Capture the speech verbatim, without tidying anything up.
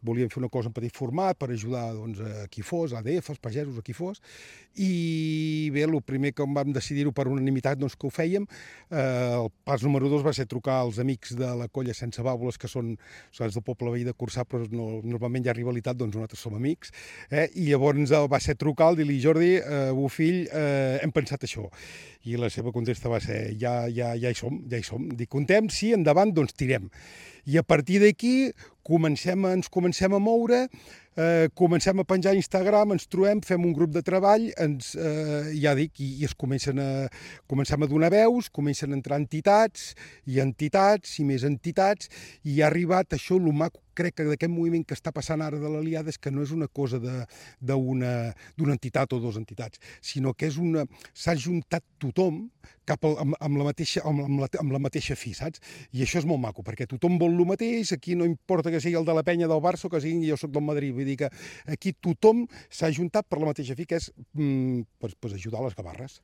volíem fer una cosa en petit format per ajudar doncs, a qui fos, a A D Fs, pagesos, a qui fos, i bé, el primer que vam decidir-ho per unanimitat doncs, que ho fèiem, eh, el pas número dos va ser trucar als amics de la colla Sense Bàbules, que són, són del poble veí de Corçà, però no, normalment hi ha rivalitat, doncs nosaltres som amics, eh? I llavors va ser trucar, dir-li, Jordi, eh, bo fill, eh, hem pensat això. I la seva contesta va ser, ja, ja, ja hi som, ja hi som. Dic, contem, sí, endavant, doncs tirem. I a partir d'aquí comencem, ens comencem a moure, eh, comencem a penjar a Instagram, ens trobem, fem un grup de treball, ens, eh, ja dic, i, i es comencen a, comencem a donar veus, comencen a entrar entitats, i entitats, i més entitats, i ha arribat això, el maco, crec que d'aquest moviment que està passant ara de l'Aliada és que no és una cosa d'una entitat o dues entitats, sinó que és una, s'ha juntat tothom cap al, amb, amb, la mateixa, amb, amb, la, amb la mateixa fi, saps? I això és molt maco, perquè tothom vol el mateix, aquí no importa que sigui el de la penya del Barça o que sigui jo soc del Madrid, vull dir que aquí tothom s'ha juntat per la mateixa fi, que és mm, pues, pues ajudar les gavarres.